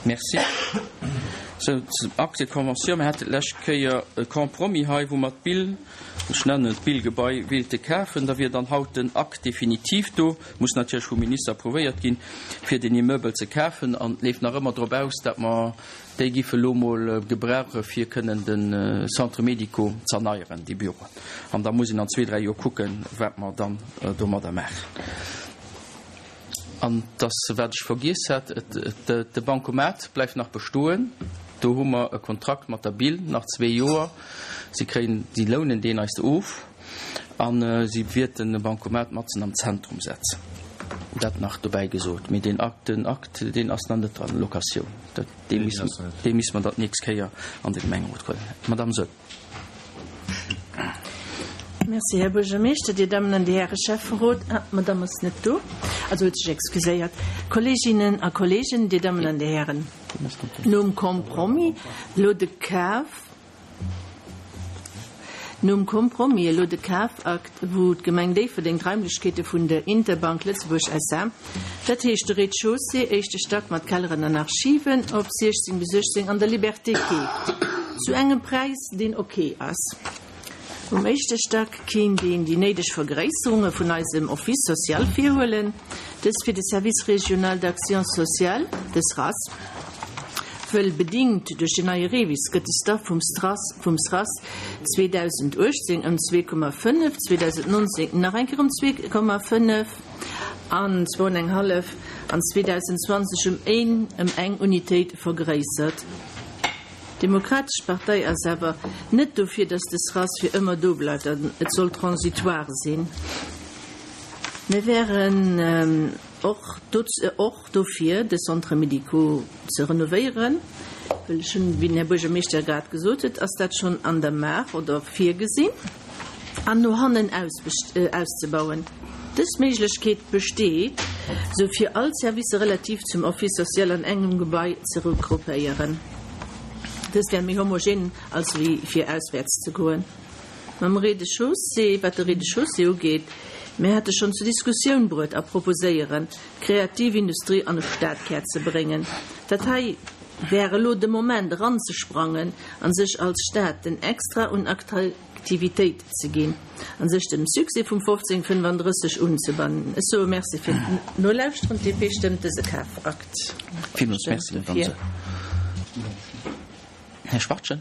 Merci. Sou, zum Acte de convention. Mir hate d'lescht Kéier e Compromis hei, wou mer d'Bill, ech nennen et d'Billgebai, wéilte kafen. Da wier dann haut den Acte définitif do, muss natierlech vum Minister approuvéiert ginn, fir deen Immeuble ze kafen. An et leeft nach ëmmer drop aus, datt mer déi giffe elo mol gebrauche fir kënnen de Centre médico z'erneieren, déi Büroen. An da muss een an zwee, dräi Joer kucken, wat mer dann domadder maachen. An dass, wat ech vergiess hat, de Bancomat bleift nach bestoen. Do hu mer e Kontrakt mat der Bill, nach zwee Joer. Si kréien, si lounen deen eis of a si wierten e Bancomat matzen am Zentrum setzen. Dat nach dobäi gesot. Mee deen Akt, den Akt, deen ass nach net dran, Locatioun. Dat, dee misst, dee misst mer dann d'nächst Kéier an de Gemengerot huelen. Madamm Soll. Merci, Här Buergermeeschter, Dir Dammen an Dir Häre Schäfferot. Ah, d'Madamm ass net do, also huet sech excuséiert. Kolleeginnen a Kolleegen, Dir Dammen an Dir Hären, nom Compromis elo de Kaf, nom Compromis elo de Kafakt, wou d'Gemeng Déifferdeng d'Raimlechkeete vun der Interbank Lëtzebuerg SA. Dat heescht de Rez-de-chaussée, éischte Stack mat Kelleren an Archiven, op 16 bis 18 an der Liberté keeft. Zu engem Präis, deen ok ass. Um éischte Stack kéint een déi néideg Vergréisserunge vun eisem Office social virhuelen, dëst fir de Service régional d'action sociale, de SRAS, wëll bedingt duerch den neie REVIS gëtt de Staff vum SRAS vum SRAS 2018 ëm 2,5, 2019 nach eng Kéier ëm 2,5 an zwou an eng hallef an 2020 ëm een ëm eng Unitéit vergréissert. D'Demokratesch Partei ass awer net dofir, datt de SRAS fir ëmmer do bleift an et soll transitoire sinn. Mir wären och och dofir, de Centre médico ze renovéieren, well ech hunn, wéi den Här Buergermeeschter grad gesot huet, ass dat schonn an der Maach oder virgesinn, an no hannen auszebauen. Dës Méiglechkeet besteet, sou fir all Servicer relativ zum Office social an engem Gebai ze regroupéieren. Dëst wär méi homogen als wéi fir auswäerts ze goen. Mam Rez-de-chaussée, wat de Rez-de-chaussée ugeet, mir hate schonn zur Diskussioun bruet a proposéieren, d'kreativ Industrie an de Stadkär ze bréngen. Dat hei wär elo de Moment eranzesprangen a sech als Stad den Extra un Aktivitéit ze ginn a sech dem Succès vum 1535 unzebannen. Ech soe Merci fir d'Nolauschteren. D'DP stëmmt dëse Kafakt. Villmools Merci, Madame Soll. Här Schwachtgen.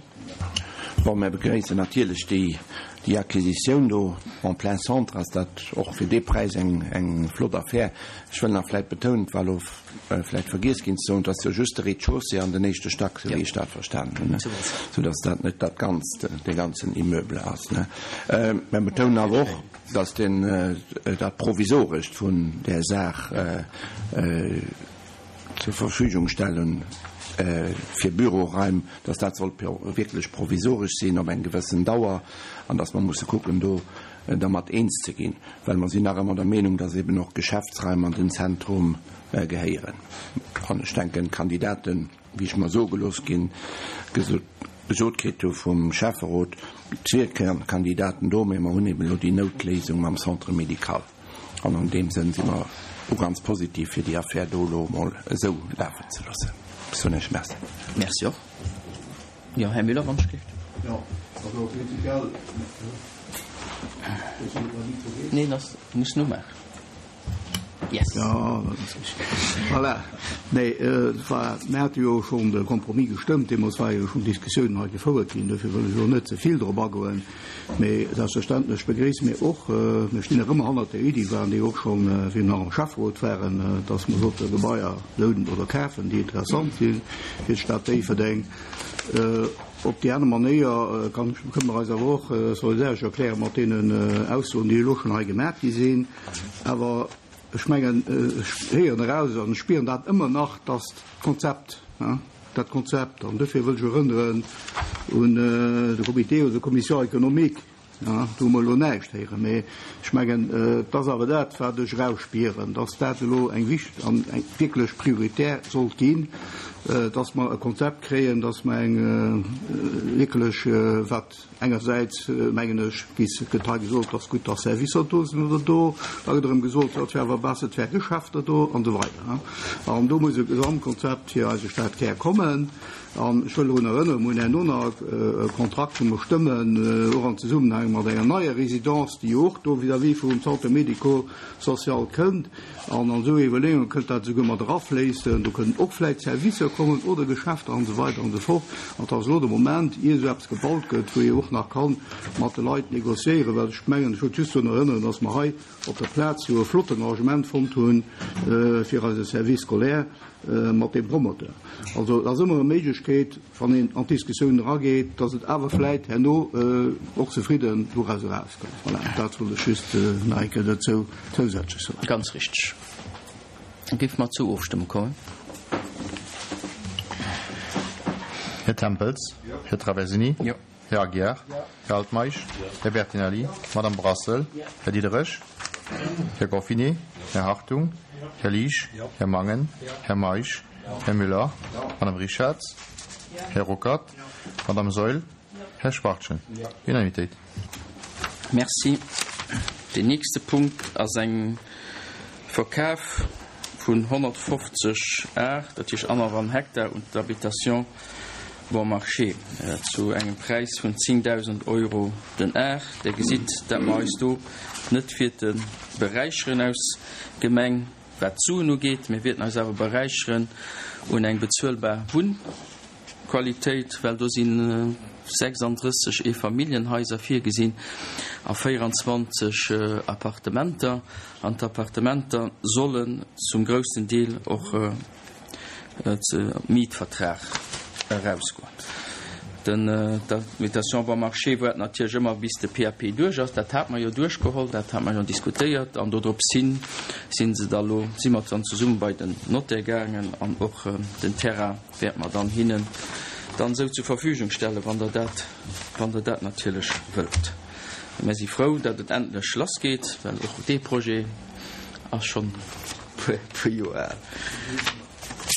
Bon, mär begréissen natierlech déi, déi Acquisitioun do en plein centre ass dat och fir dee Präis eng, eng flott Affär. Ech wëll nach vläicht betounen, et war elo vläicht vergiess ginn ze soen, et ass jo just de Rez-de-chaussée an den éischte Stack, esou wéi ech dat verstanen hunn, soudass dat net dat Ganzt, dee ganzen Immeuble ass. Mär betounen awer och, dass deen, dat Provisorescht vun där Saach, zur Verfügung stellen fir Büroraim, dass dat soll wierklech provisoresch sinn op eng gewëssen Dauer an dass mer musse kucken do dermat eens ze ginn, well mer sinn nach ëmmer der Meenung, dass eben och Geschäftsraim an den Zentrum gehéieren. An ech denken, d'Kandidaten, wéi ech mer soe gelooss ginn, gesot kritt hu vum Schäfferot, et wier Kandidaten do, mä mer hunn eben elo déi Noutléisung mam Centre médical. An an deem Sënn si mer och ganz positiv, fir déi Affär do elo emol esou lafen ze loossen. Ech soen Iech Merci. Merci och. Jo, Här Müller, wann ech géif. Jo, also prinzipiell. Neen, ass, muss nomaachen. Yes. Jo, dat ass richteg. Voilà. Nee, et war, mir hate jo schonn de Compromis gestëmmt. Deemools ware jo schonn Diskussiounen hei gefouert ginn. Dofir wëll ech elo net ze vill drop agoen. Mee selbstverständlech begréisse mir och, mir stinn nach ëmmer hannert där Iddi, waren déi och schonn, wéi mir nach am Schäfferot waren, dass mer sollte Gebaier lounen oder kafen, déi interessant si fir d'Stad Déifferdeng. Op déi aner Manéier kann, kënne mer eis awer och solidaresch erkläre mat deenen Aussoen, déi elo schonn hei gemaach gi sinn. Awer ech mengen, ech héieren eraus an ech spieren dat ëmmer nach, dass d'Konzept, dat Konzept, an dofir wëll ech erënneren un de Comité oder d'Commission économique, do hu mer elo näischt héieren, mee ech mengen, et ass awer dat, wat ech erausspieren, dass dat elo eng wichteg an eng wierklech prioritär sollt ginn. dass mer e Konzept kréien, dass mer eng wierklech, wat engersäits, mengen ech, gëtt hei gesot, dass gutt, dass Servicer do sinn oder do, da gëtt erëm gesot, jo, et wär awer besser, et wäre Geschäfter do an esou weider. An do muss e Gesamtkonzept fir eise Stadkär kommen. An ech wëll drun erënneren, mir hunn herno nach e Kontrakt, wou mer stëmmen, och am Zesummenhang mat enger neier Résidence, déi jo och do vis-à-vis vum Centre médico-social kënnt. An an esou Iwwerleeunge kënnt dat esouguer mat erafléissen. Do kënnen och vläicht Servicer kommen oder Geschäfter an esou weider an esou fort. An et ass elo de Moment, ier esou eppes gebaut gëtt, wou ee och nach ka mat de Leit négociéieren, well ech mengen, ech wëllt just drun erënneren, dass mer hei op der Plaz jo e flotten Arrangement fonnt hu fir eise Service scolaire mat deem Promoteur. Also et ass ëmmer e Méiglechkeet, wann een an d'Diskussioun erageet, datt et awer vläit herno och zefridden doraus erauskënnt. Voilà, dat wollt ech just nach eng Kéier dozou zousätzlech soen. Ganz richteg. Da géife mer zur Ofstëmmung kommen. Här Tempels? Här Traversini? Här Aguiar? Här Altmeisch? Här Bertinelli? Madame Brassel? Här Diderich? Här Goffinet? Här Hartung? Här Liesch? Här Mangen? Här Meisch? Här Müller? Madame Richarz? Här Ruckert? Madame Saeul? Här Schwachtgen? Unanimitéit. Merci. Deen nächste Punkt ass eng Verkaf vun 150 Ar, dat heescht annerhallwen Hektar, un d'Habitation Bon Marché zu engem Präis vun 10.000 Euro den Ar. Dir gesitt, dat mer eis do net wäerte beräicheren aus Gemeng, wat d'Suen ugeet. Mir wäerten eis awer beräicheren un eng bezuelbar Wunnqualitéit, well do si 36 Eefamilljenhaiser virgesinn a 24 Appartementer. An d'Appartementer sollen zum groussen Deel och Mietvertrag erausgoen. D'Habitation bon marché woart natierlech ëmmer bis de PAP duerch ass. Dat hate mer jo duerchgeholl, dat hate mer jo diskutéiert an dodrops hin si se da lo, si mer dann zesumme bei den Notaire gaangen an och den Terrain wäerte mer dann hinnen dann esou zur Verfügung stellen, wann Der dat, wann Der dat natierlech wëllt. Mir si frou, datt et endlech lassgeet, well och dee Projet ass schonn puer Joer al.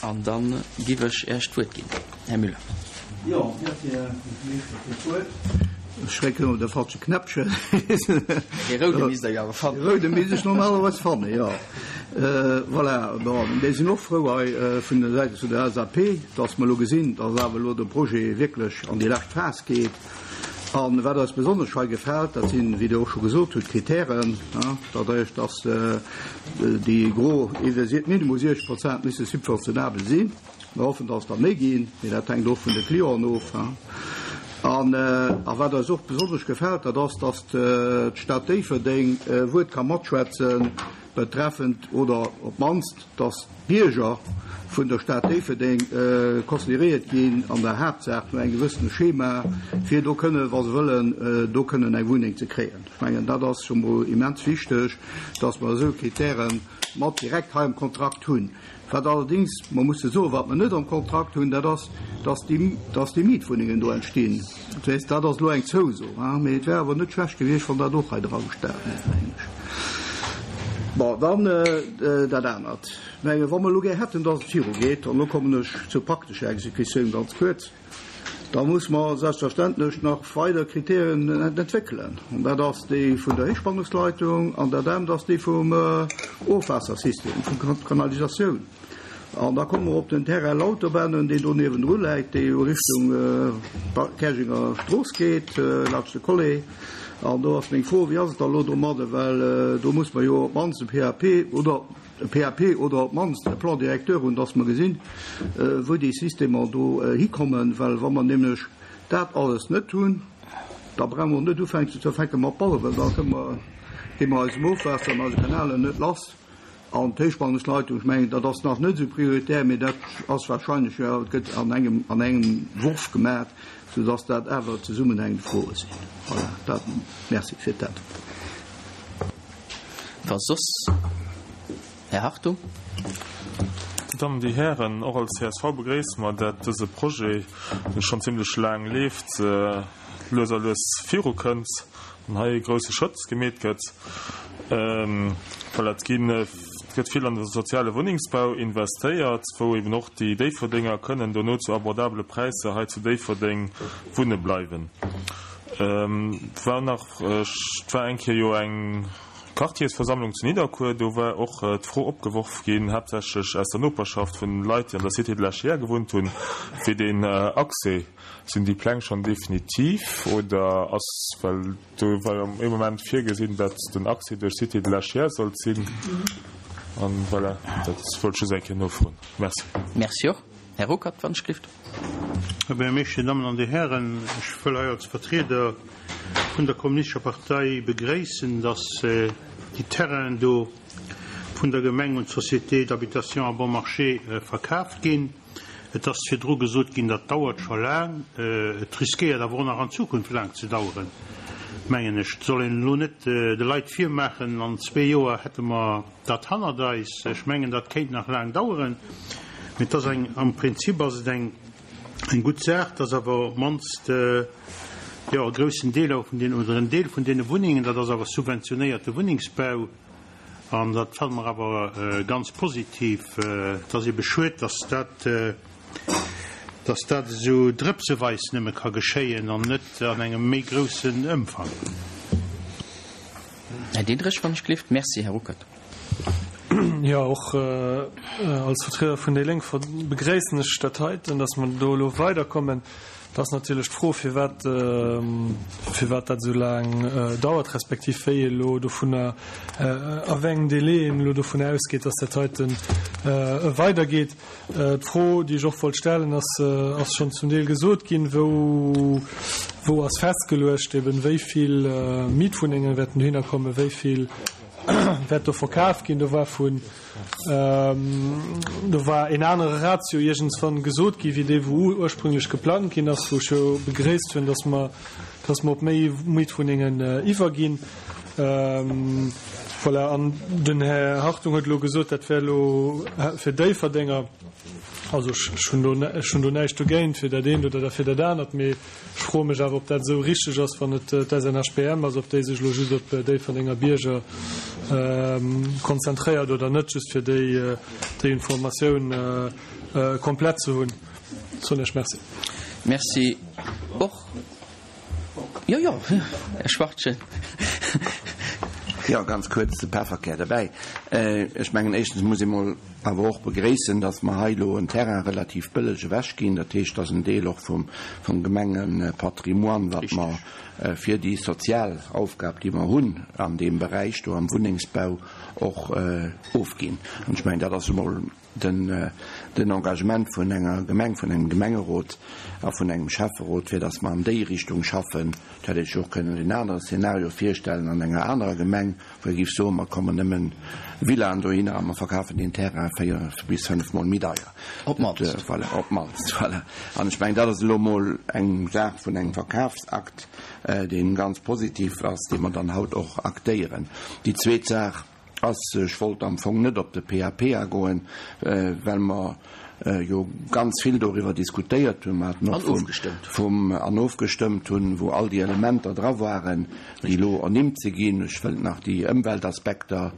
An da giff ech Äech d'Wuert ginn, Här Müller. Jo, merci, Här Buergermeeschter, fir d'Wuert. Ech schrécken elo de falsche Knäppchen. Dee roude misst Der jo awer fannen. Dee roude misst ech normalerweis fannen, jo. Voilà, bon, mir sinn och frou hei vun der Säit vun der LSAP, dass mer elo gesinn, dass awer elo de Projet wierklech an déi lescht Phas geet. A wat eis besonnesch hei gefält, dat sinn, wéi Dir och scho gesot hutt, d'Kritären, dat heescht, dass déi gro iwwer minimum 60 Prozent misse subventionabel sinn. Mir hoffen, dass der méi ginn, mee dat hänkt och vun de Clienten of. A wat eis och besonnesch gefält, dat ass, dass d'Stad Déifferdeng e Wuert ka matschwätzen betreffend, oder op d'mannst, dass d'Bierger vun der Stad Déifferdeng consideréiert ginn an der Haaptsaach no engem gewëssene Schema, fir do kënnen, wa se wëllen, do kënnen eng Wunneng ze kréien. Ech mengen, dat ass scho mol immens wichteg, dass mer esou Kritäre mat direkt hei am Kontrakt hunn. Wat allerdéngs mer musse soen, wat mer net am Kontrakt hunn, dat ass, dass déi, dass déi Mietwunnengen do entstinn. Dat heescht, dat ass elo eng Zouso, mee et wär awer net schlecht gewiescht, wann dat och hei dra gestanen hätt, mengen ech. Bon, dann dat anert. Mä wa mer elo gär hätten, dass et virugeet, an elo kommen ech zur praktescher Exekutioun ganz kuerz, da muss mer selbstverständlech nach weider Kriterien entwéckelen. An dat ass déi vun der Héichspannungsleitung an dat anert ass déi vum Ofwaassersystem, vun der Kanalisatioun. An da komme mer op den Terrain Lauterbennen, deen do niewendru läit, dee jo Richtung Käerjenger Strooss geet, laanscht de Collé. An do ass meng Fro, Wéi ass et da elo domadde? Well do muss mer jo op d'mannst e PAP oder e PAP oder op d'mannst e Plan directeur hunn, dass mer gesinn, wou déi Systemer do hikommen. Well wa mer nämlech dat alles net hunn, da brauche mer och net ufänken ze fänke mat bauen, well da kënne mer, gi mer eisem Ofwaasser an eise Kanalen net lass. An d'Héichspannungsleitung, ech mengen, dat ass nach net esou prioritär, mee dat ass wahrscheinlech, jo, et gëtt an engem, an engem Worf gemaach, soudass dat awer zesummenhängend Froe sinn. Voilà, dat, merci fir d'Äntwert. Wa soss, Här Hartung. Dir Dammen, Dir Hären, och als csv begréisse mer, dat dëse Projet, dee schonn zimlech laang leeft, lues a lues virukënnt an hei e grousse Schrëtt gemeet gëtt. Voilà, et ginn. Et gëtt vill an de soziale Wunnengsbau investéiert, wou eben och déi Déifferdenger kënnen dono zu abordabele Präisser hei zu Déifferdeng wunne bleiwen. Et war nach, et war eng Kéier jo eng Quartiersversammlung zu Nidderkuer, do war och d'Fro opgeworf ginn, haaptsächlech aus der Noperschaft vun Leit, déi an der Cité de la Chiers gewunnt hunn, fir den Accès. Sinn déi Pläng schonn definitiv oder ass, well do war jo ee Moment virgesinn, datt den Accès duerch d'Cité de la Chiers sollt sinn. An voilà, dat wollt ech just eng Kéier nofroen. Merci. Merci och. Här Ruckert, wann ech gelift. Här Buergermeeschter, Dir Dammen an Dir Hären, ech wëll hei als Vertrieder vun der Kommunistescher Partei begréissen, datt déi Terrainen do vun der Gemeng un d'Société d'habitation à bon marché verkaaft ginn. Et ass virdru gesot ginn, dat dauert scho laang. Et riskéiert awer och nach an Zukunft laang ze daueren, mengen ech. Et soll een elo net de Leit virmaachen, an zwee Joer hätte mer dat hannert eis. Ech mengen, dat kéint nach laang daueren. Mee et ass eng, am Prinzip ass et eng, eng gutt Saach, dass awer op d'mannst, jo, e groussen Deel awer vun deenen, oder en Deel vun deene Wunnengen, dat ass awer subventionéierte Wunnengsbau, An dat fanne mer awer ganz positiv. Et ass ebe schued, dass dat, dass dat esou drëpseweis nëmme ka geschéien an net an engem méi groussen Ëmfang. Här Diderich, wann ech gelift. Merci, Här Ruckert. Jo, och als Vertrieder vun déi Lénk begréissen ech dat heiten, dass mer do elo weiderkommen. Et ass natierlech d'Fro, firwat, firwat dat esou laang dauert, respektiv wéi ee elo dovunner, a wéi engem Délai een elo dovunner ausgeet, dass dat heiten weidergeet. D'Fro, déi ech och wollt stellen, ass, ass schonn zum Deel gesot ginn, Wou, wou ass festgeluecht eben, wéi vill Mietwunnenge wäerten dohinner kommen, wéi vill wäert do verkaf ginn? Do war vun Do war een anere Ratio iergendswann gesot gi wéi dee wou ursprünglech geplangt ginn ass, wou ech jo begréisst hunn, datt mer, datt mer op méi Mietwunnengen iwwerginn. Voilà, an den Här Hartung huet elo gesot, dat wär elo fir Déifferdenger. Also ech hunn do, ech hunn do näischt dogéint, fir dat eent oder fir dat anert, mee Ech froe mech awer, ob dat esou richteg ass, wann et d'SNHBM ass, ob déi sech elo just op Déifferdenger Bierger konzentréiert oder net, just fir déi Informatioun komplett ze hunn. Soen ech Merci. Merci och. Jo, jo, Här Schwachtgen. Jo, ganz kuerz, de Pefferkär derbäi. Ech mengen, éischtens muss ee mol awer och begréissen, dass mer hei elo en Terrain relativ bëlleg ewechginn. Dat heescht, dass en Deel och vum Gemengepatrimoine, wat mer fir déi sozial Aufgab, déi mer hunn an deem Beräich do am Wunnengsbau, och ofginn. An ech mengen, dat ass emol den Engagement vun enger Gemeng, vun engem Gemengerot a vun engem Schäfferot, fir dass mer an déi Richtung schaffen. Et hätt ee sech och kënnen en anere Szenario virstellen an enger anerer Gemeng, wou ee géif soen, mer kommen nëmmen Villaen dohinner a mer verkafen deen Terrain 4 bis 5 Mol méi deier. Op d'mannst. Voilà, op d'mannst, voilà. An ech mengen, dat ass elo emol eng Saach vun engem Verkafsakt, dee ganz positiv ass, dee mer dann haut och aktéieren. Déi zweet Saach ass, ech wollt am Fong net op de PAP agoen, well mer jo ganz vill doriwwer diskutéiert hunn, mer haten och vum an ofgestëmmt hunn, wou all déi Elementer dra waren, déi elo ernimmt si ginn. Ech wëllt nach déi Ëmweltaspekter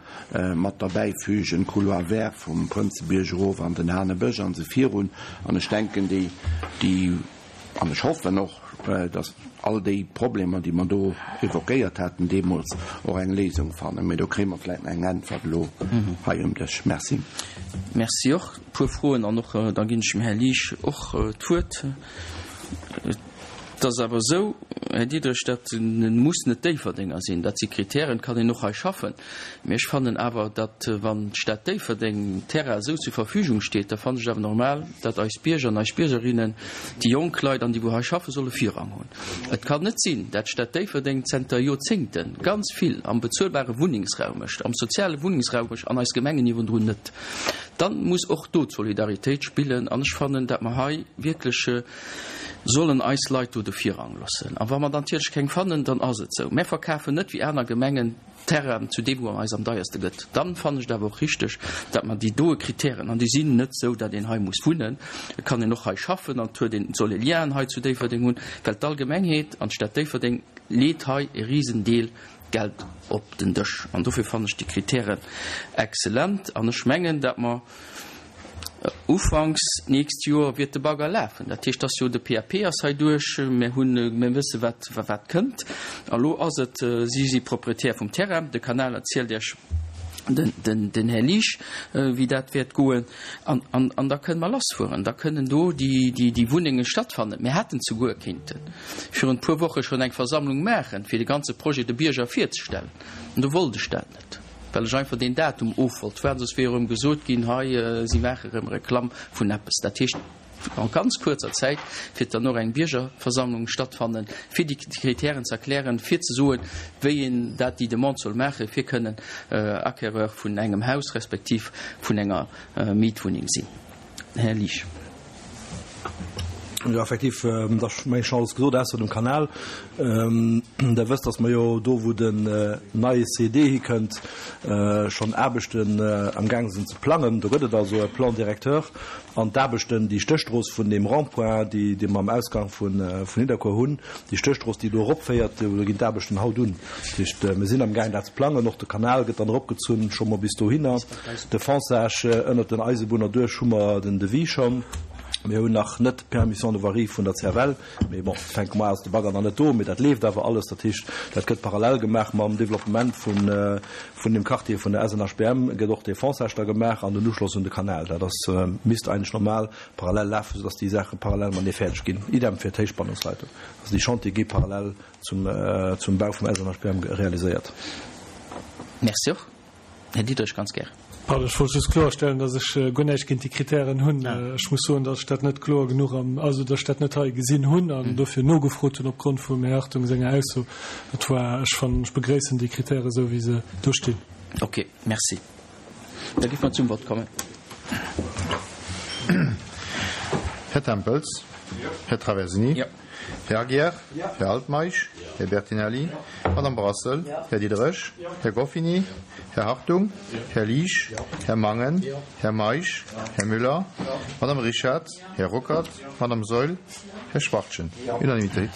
mat derbäifügen, Couloir vert vum Prënzebierg erof an den Hanebësch an esou virun. An ech denken, déi, déi, an ech hoffen och, datt all déi Problemer, déi mer do évoquéiert haten deemools, och eng Léisung fannen. Mee do kréie mer vläicht nach eng Äntwert elo hei um Dësch. Merci. Merci och. E puer Froen an och da ginn ech dem Här Liesch och d'Wuert. Et ass awer esou, Här Diderich, dat muss net Déifferdenger sinn. Dat si Kritären, kann een och hei schaffen. Mee ech fannen awer, datt wann d'Stad Déifferdeng Terrain esou zur Verfügung steet, da fannen ech et awer normal, datt eis Bierger an eis Biergerinnen, déi jonk Leit an déi wou hei schaffen, solle Virrang hunn. Et kann net sinn, dat d'Stad Déifferdeng zenter Joerzéngte ganz vill am bezuelbare Wunnengsraum mécht, am soziale Wunnengsraum mécht an eis Gemengen niewendrun net. Dann muss och do d'Solidaritéit spillen an ech fannen, dat mer hei wierklech sollen eis Leit do de Virrang loossen. A wa mer dann natierlech keng fannen, dann ass et esou. Mär verkafen net wéi aner Gemengen Terrain zu deem wou en eis am deierste gëtt. Dann fannen ech et awer och richteg, dat mer déi doe Kritären, an déi sinn net esou, dat een hei muss wunnen, et kann een och hei schaffen an et huet een, et soll ee Lienen hei zu Déifferdeng hunn, well d'Allgemengheet an d'Stad Déifferdeng leet hei e Risendeel. Geld op den Dësch. An dofir fannen ech déi Kritären exzellent. An ech mengen, dat mer Ufanks d'nächst Joer wiert de Bagger lafen. Dat heescht, dass jo de PAP ass hei duerch, mir hunn, mir wësse wat, wat kënnt. A lo ass et, si si Proprietär vum Terrain, de Kanal erzielt Iech den, den, den Här Liesch, wéi dat wäert goen. An, an, an da kënne mer lassfueren, da kënnen do déi, déi, déi Wunnenge stattfannen. Mir hätten souguer kéinte virun e puer Woche schonn eng Versammlung maachen, fir de ganze Projet de Bierger virzestellen. An do wollt ech dat net, well ech einfach deen Datum of wollt waarden, soss wier erëm gesot ginn, hei si maache erëm Reklamm vun eppes. Dat heescht, a ganz kuerzer Zäit wäert dann och eng Biergerversammlung stattfannen, fir déi Kritären ze erklären, fir ze soen, wéi een dat déi Demande soll maachen, fir kënnen Acquéreur vun engem Haus respektiv vun enger Mietwunneng sinn. Här Liesch. Jo, effektiv, et ass mengen ech schonn alles gesot, ausser dem Kanal. Der wësst, datt mer jo do, wou den neie CED hikënnt, schonn Aarbechten amgaang sinn ze plangen. Do gëtt et also e Plan directeur. An d'Aarbechten, déi Stéchstrooss vun deem Rond-point, déi, déi mer am Ausgang vun Nidderkuer hunn, déi Stéchstrooss, déi do eropféiert, do ginn d'Aarbechten haut un. Dat heescht, mir sinn amgaang dat ze plangen. Och de Kanal gëtt dann eropgezunn, scho mol bis dohinner. De Fonçage ënnert den Eisebunner duerch hu mer den Devis schonn. Mir hunn nach net d'Permission de voirie vun der CFL, mee bon, fänke mer ass de Bagger nach net do, mee dat leeft awer alles. Dat heescht, dat gëtt parallel gemaach mam Developpement vun vun dem Quartier vun der SNHBM gëtt och dee Fonçage da gemaach an den Uschloss un de Kanal. Dat ass, misst eigentlech normal parallel lafen, soudass déi Saache parallel matenee fäerdeg ginn. Idem fir d'Héichspannungsleitung. Also déi Chantiere gi parallel zum zum Bau vum SNHBM realiséiert. Merci och. Här Diderich, ganz gär. Pardon, ech wollt just kloerstellen, datt ech guer näischt géint déi Kritären hunn. Ech muss soen, datt ech dat net kloer genuch am, also datt ech dat net hei gesinn hunn an dofir nogefrot hunn opgrond vum Här Hartung senger Ausso. Et war, ech fannen, ech begréissen déi Kritären esou wéi se do stinn. Ok, merci. Da géife mer zum Vott kommen. Här Tempels? Här Traversini? Här Aguiar? Här Altmeisch? Här Bertinelli? Madame Brassel? Här Diderich? Här Goffini? Här Hartung? Här Liesch? Här Mangen? Här Meisch? Här Müller? Madame Richard? Här Ruckert? Madame Saeul? Här Schwachtgen? Unanimitéit.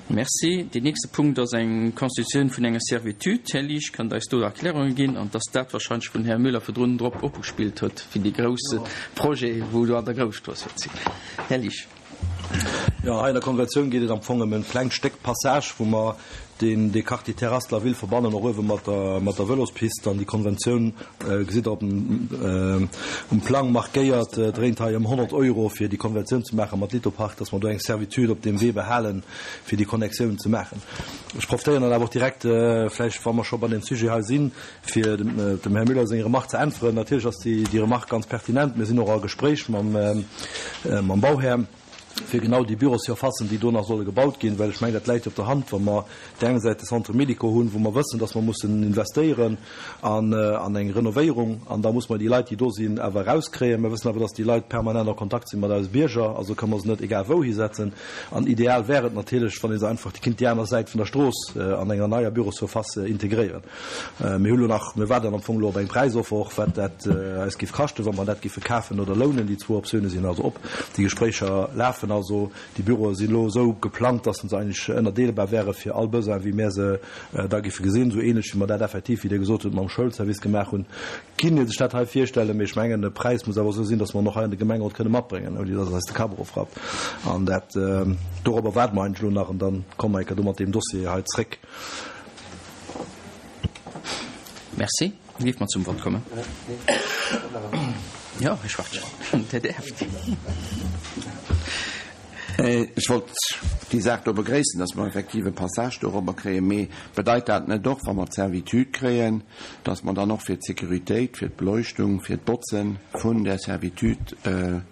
Merci. Deen nächste Punkt ass eng Constitutioun vun enger Servitude. Här Liesch, kënnt eis do Erklärunge ginn? An dass dat wahrscheinlech vun Här Müller virdrun drop opgespillt huet fir dee grousse Projet, wou do an der Grousstrooss wäert sinn. Här Liesch. Jo, hei an der Konventioun geet et am Fong ëm e klengt Stéck Passage, wou mer deen, dee Quartier Terrasse de la Ville verbannen, och uewe mat der, mat der Vëlospist. An déi Konventioun, gesitt Der op dem, um Plang markéiert, dréint hei ëm 100 Euro, fir déi Konventioun ze maache mat Lithopark, dass mer do eng Servitude op deem Wee behalen, fir déi Connectioun ze maachen. Ech profitéieren dann awer och direkt, vläicht, wa mer scho bei deem Sujet hei sinn, Fir dem Här Müller seng Remark ze äntweren, Natierlech ass déi Remark ganz pertinent. Mir sinn och a Gespréich mam Bauhär, fir genau déi Bürossurfacen, déi do nach solle gebaut ginn, well ech mengen, dat läit jo op der Hand, wa mer op där enger Säit de Centre médico hunn, wou mer wëssen, dass mer mussen investéieren an eng Renovéierung, an da muss mer déi Leit, déi do sinn, awer erauskréien. Mer wëssen awer, dass déi Leit permanent a Kontakt si mat eise Bierger, also kënne mer se net egal wou hisetzen. An ideal wär et natierlech, wann ee se einfach kinnt déi aner Säit vun der Strooss an enger neier Bürossurface integréieren. Mir hu lo nach, mir waarden am Fong elo op eng Präisoffer och, wat dat eis géif kaschten, wa mer dat géife kafen oder lounen. Déi zwou Optioune sinn also op. Déi Gespréicher lafen also. Déi Büroe sinn elo esou geplangt, dass se eigentlech ënnerdeelbar wäre fir all Besoin, wéi mir se da géife gesinn. Esou ähnlech wéi mer dat effektiv, wéi Dir gesot hutt, mam Schoulservice gemaach hunn, kinnt ee sech dat hei virstellen. Mee ech mengen, de Präis muss awer esou sinn, dass mer en och hei an de Gemengerot kënne matbréngen, ouni dass eis de Kapp erofrappt. An dat, dorobber waarde mer eigentlech elo nach an da komme mer eng Kéier do mat deem Dossier hei zréck. Merci. Da géife mer zum Vott kommen. Jo, Här Schwachtgen, Dir däerft. Ech wollt déi Saach do begréissen, dass mer effektiv e Passage dorobber kréien. Mee bedeit dat net och, wa mer d'Servitude kréien, dass mer dann och fir d'Sécuritéit, fir d'Beleuchtung, fir d'Botze vun där Servitude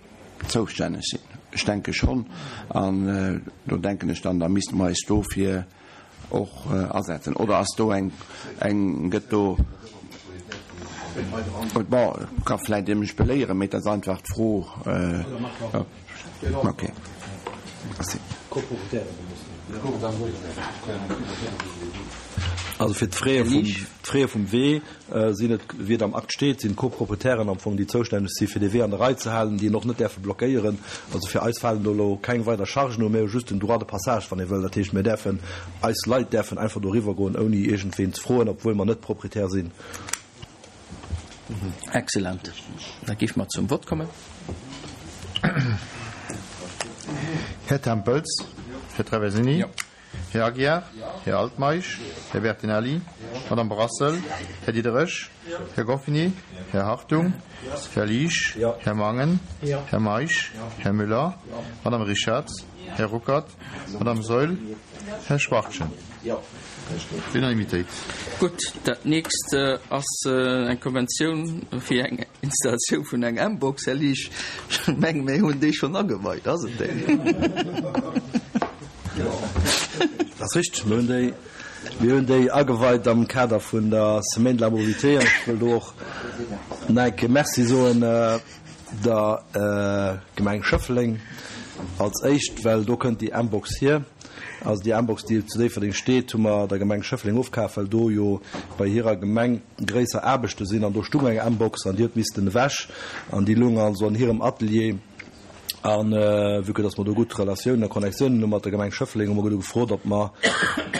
zoustänneg sinn? Ech denke schonn. An do denken ech dann, da misste mer eis dofir och asetzen oder ass do eng eng gëtt do bon ka vläit Dir mech beléieren, mee et ass einfach d'Fro. Okay. Merci. Also fir d'Fraie vum, d'Fraie vum Wee sinn et, wéi et am Akt steet, sinn d'Copropriétairen am Fong, déi zoustänneg si fir dee Wee an der Rei ze halen, déi en och net däerfe blockéieren. Also fir eis falen do elo keng weider Chargen u, mir hu just den Droit de passage, wann ee wëll. Dat heescht, mir däerfen, eis Leit däerfen einfach doriwwer goen, ouni iergendween ze froen, obwuel mer net Propriétaire sinn. Excellent. Da géife mer zum Vott kommen. Här Tempels, Här Traversini, Här Aguiar, Här Altmeisch, Här Bertinelli, Madame Brassel, Här Diderich, Här Goffini, Här Hartung, Här Liesch, Här Mangen, Här Meisch, Här Müller, Madame Richartz, Här Ruckert, Madame Saeul, Här Schwachtgen. Unanimitéit. Gutt, dat nächst ass eng Konventioun fir eng Installatioun vun eng mBox. Här Liesch, ech menge mir hunn déi schonn ageweit, ass et déi? Dat ass richteg, mir hunn déi, mir hunn déi ageweit am Kader vun der Semaine de la mobilité an ech wëll do och nach eng Kéier Merci soen der Gemeng Schëffleng als éischt, well do kënnt déi mBox hier. Also déi mBox, déi zu Déifferdeng steet, hu mer der Gemeng Schëffleng ofkaf, well do jo bei hirer Gemeng gréisser Aarbechte sinn an do stung eng mBox an déi huet missten ewech an déi lung also an hirem Atelier. A vue que dass mer do gutt Relatiounen a Connectiounen hu mat der Gemeng Schëffleng, hu mer du gefrot, ob mer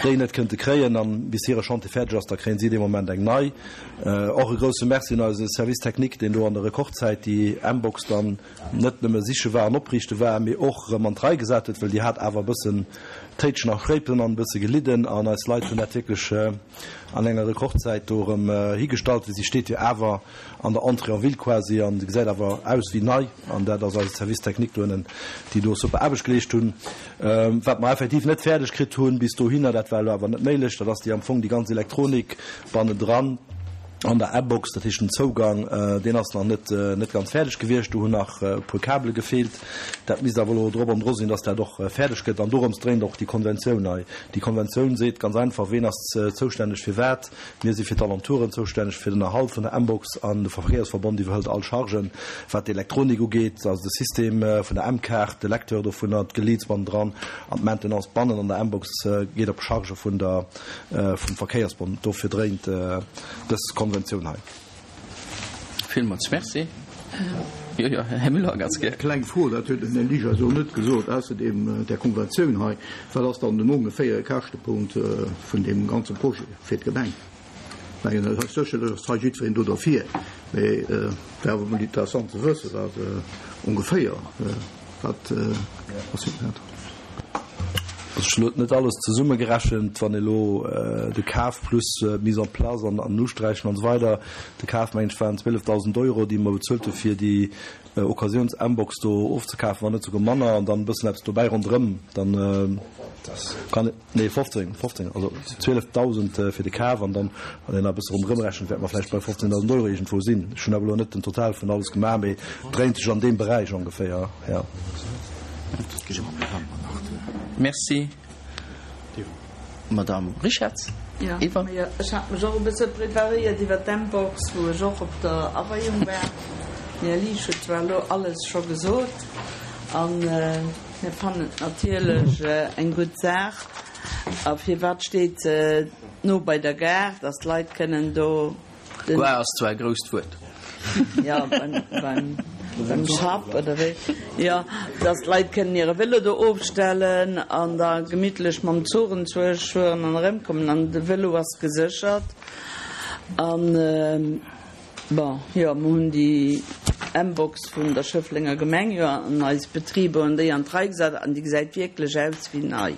déi net kënnte kréien an bis hire Chantier fäerdeg ass, da kréien si dee Moment eng nei. Och e grouse Merci un eise Service technique, deen do an der Rekordzäit déi mBox dann net nëmme siche war an opriichte war, mee och erëm an d'Rei gesat huet, well déi hat awer e bëssen Téitschen a Schréipen an e bësse gelidden an eis Leit hunn dat wierklech an enger Rekordzäit do erëm higestallt, well si steet jo awer an der Entrée en ville quasi an se gesäit awer aus wéi nei an dat ass eise Service technique dohinnen, déi do super Aarbecht geleescht hunn. Wat mer effektiv net fäerdeg kritt hunn bis dohinner, dat war elo awer net méiglech, dat ass déi am Fong déi ganz Elektronik bannendran an der mBox, dat heescht den Zougang, deen ass nach net net ganz fäerdeg gewiescht. Do hunn nach e puer Kabele gefeelt. Dat misst awer elo drop an dru sinn, dass dat och fäerdeg gëtt. An dorëms dréint och déi Konventioun hei. Déi Konventioun seet ganz einfach, ween ass zoustänneg fir wat. Mir si fir d'Alentouren zoustänneg, fir den Erhalt vun der mBox an de Verkéiersverbond iwwerhëlt all Chargen, wat d'Elektronik ugeet, also de System vun der mKaart, de Lecteur dovunner, d'Geleeds bannendran an d'Maintenance bannen an der mBox geet op Charge vun der vum Verkéiersbond. Dofir dréint dës Konventioun hei. Villmools Merci. Jo, jo, Här Müller, ganz gär. Kleng Fro, dat huet den Här Liger esou net gesot, ausserdeem där Konventioun hei, Wat ass dann den ongeféiere Käschtepunkt vun deem ganze Projet fir d'Gemeng? Ech mengen, et ass sécherlech ass hei jiddwereen do derfir, mee et wär awer emol interessant ze wëssen, wat ongeféier Wat ass fir dat? Also ech hunn elo net alles zesummegerechent, wann elo de Kaf plus d'Mise en place an an Usträichen an esou weider, de Kaf mengen ech waren 12.000 Euro, déi mer bezuelt hu fir déi Occasiouns-mBox do ofzekafen, wann net souguer manner, an dann e bëssen eppes dobäi ronderëm, dann kann. Nee, 15, 15, also 12.000 fir de Kaf an dann, wann een nach e bësse ronderëm rechent, wäerte mer vläicht bei 15.000 Euro iergendwou sinn. Ech hunn awer elo net den Total vun alles gemaach, mee et dréint sech an deem Beräich ongeféier, jo. Merci. Madamm Richartz, Jo, Eva. ech hat mech och e bësse preparéiert iwwer d'mBox, wou ech och op der Aweiung war. Den Här Liesch huet zwar elo alles scho gesot an. Mir fannen et natierlech eng gutt Saach. A firwat steet se no bei der Gare, dass d'Leit kënnen do den. Gare ass zwar e grousst Wuert. Jo, beim, beim Schapp oder wéi. Jo, dass d'Leit kënnen hire Vélo do ofstellen an da gemittlech mam Zuch enzwousch fueren an erëmkommen. An de Vélo ass geséchert. An. Bon, jo, mer hunn déi mBox vun der Schëfflenger Gemeng jo an eis Betriber hunn déi an d'Rei gesat an déi gesäit wierklech aus wéi nei.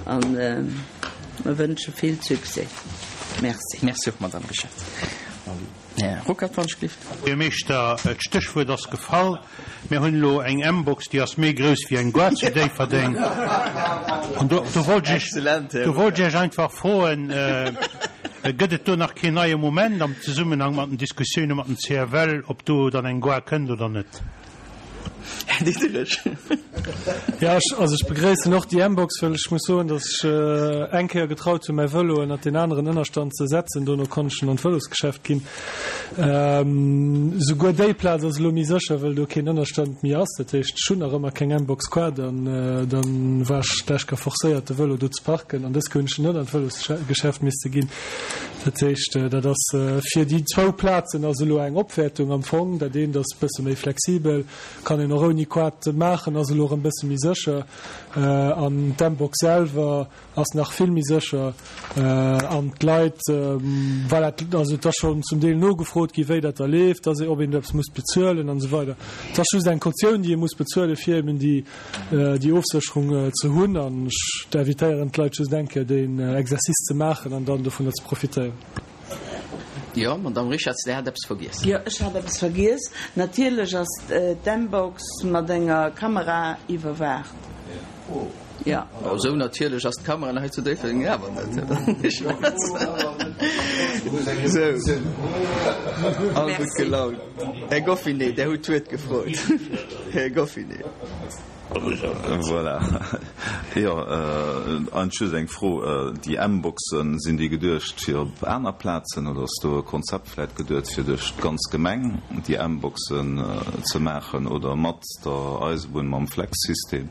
A mer wënsche vill Succès. Merci. Merci och, Madame Rischard. Här Ruckert, wann ech gelift. Buergermeeschter, d'Stéchwuert ass gefall. Mir hunn elo eng mBox, déi ass méi grouss wéi eng Gare zu Déifferdeng. An do, do wollt ech, do wollt ech Iech einfach froen, Gëtt et do nach keen neie Moment am Zesummenhang mat den Diskussioune mat dem CFL, ob do dann eng Gare kënnt oder net? Här Diderich. Jo, ech, also ech begréissen och déi mBox, well ech muss soen, datt ech eng Kéier getraut hunn, mäi Vëlo ënnert deen aneren Ënnerstand ze setzen. Dono konnt ech en an d'Vëlosgeschäft ginn. Souguer déi Plaz ass elo méi sécher, well do keen Ënnerstand méi ass. Dat heescht, ech hunn nach ëmmer keng mBox Quad an dann war ech d'lescht Kéier forcéiert, de Vëlo do ze parken an dës Kéier hunn ech en net an d'Vëlosgeschäft misste ginn. Dat heescht, dat ass fir déi zwou Plazen ass elo eng Opwäertung am Fong. Dat eent ass e bësse méi flexibel, kann een och ouni Quad maachen, ass elo erëm e bësse méi sécher an d'mBox selwer ass nach vill méi sécher an d'Leit, voilà, also et ass schonn zum Deel nogefrot gi wéi dat da leeft, dass ee, ob een do eppes muss bezuelen an esou weider. Et ass just eng Kautioun, déi ee muss bezuelen, fir eben déi, déi Ofsécherung ze hunn an ech invitéieren d'Leit just eng Kéier deen Exercice ze maachen an dann dovunner ze profitéieren. Jo, Madamm Richarz, Dir hat eppes vergiess. Jo, ech hat eppes vergiess. Natierlech ass d'mBox mat enger Kamera iwwerwaacht. Jo. Oh, esou natierlech ass d'Kamera hei zu Déifferdeng awer net. Esou, all gutt gelaunt. Här Goffinet, Der hutt d'Wuert gefrot. Här Goffinet. Voilà. Jo, eigentlech just eng Fro. Déi M-Boxen, sinn déi geduecht fir op aner Plazen oder ass do e Konzept vläicht geduet, fir duerch d'ganz Gemeng déi M-Boxen ze maachen oder mat der Eisebunn, mam Flex-System,